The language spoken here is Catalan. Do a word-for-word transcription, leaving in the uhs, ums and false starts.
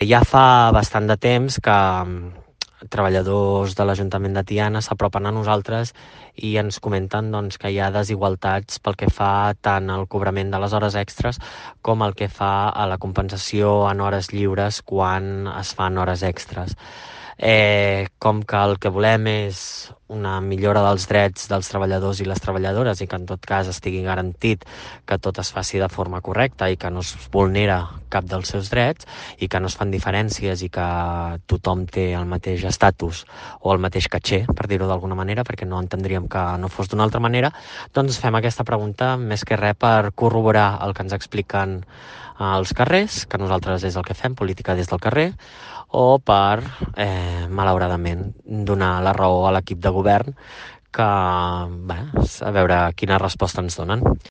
Ja fa bastant de temps que treballadors de l'Ajuntament de Tiana s'apropen a nosaltres i ens comenten doncs, que hi ha desigualtats pel que fa tant al cobrament de les hores extres com el que fa a la compensació en hores lliures quan es fan hores extres. Eh, com que el que volem és una millora dels drets dels treballadors i les treballadores i que en tot cas estigui garantit que tot es faci de forma correcta i que no es vulnera cap dels seus drets i que no es fan diferències i que tothom té el mateix estatus o el mateix caché, per dir-ho d'alguna manera, perquè no entendríem que no fos d'una altra manera, doncs fem aquesta pregunta més que res per corroborar el que ens expliquen als carrers, que nosaltres és el que fem, política des del carrer, o per, eh, malauradament, donar la raó a l'equip de govern que, bé, a veure quina resposta ens donen.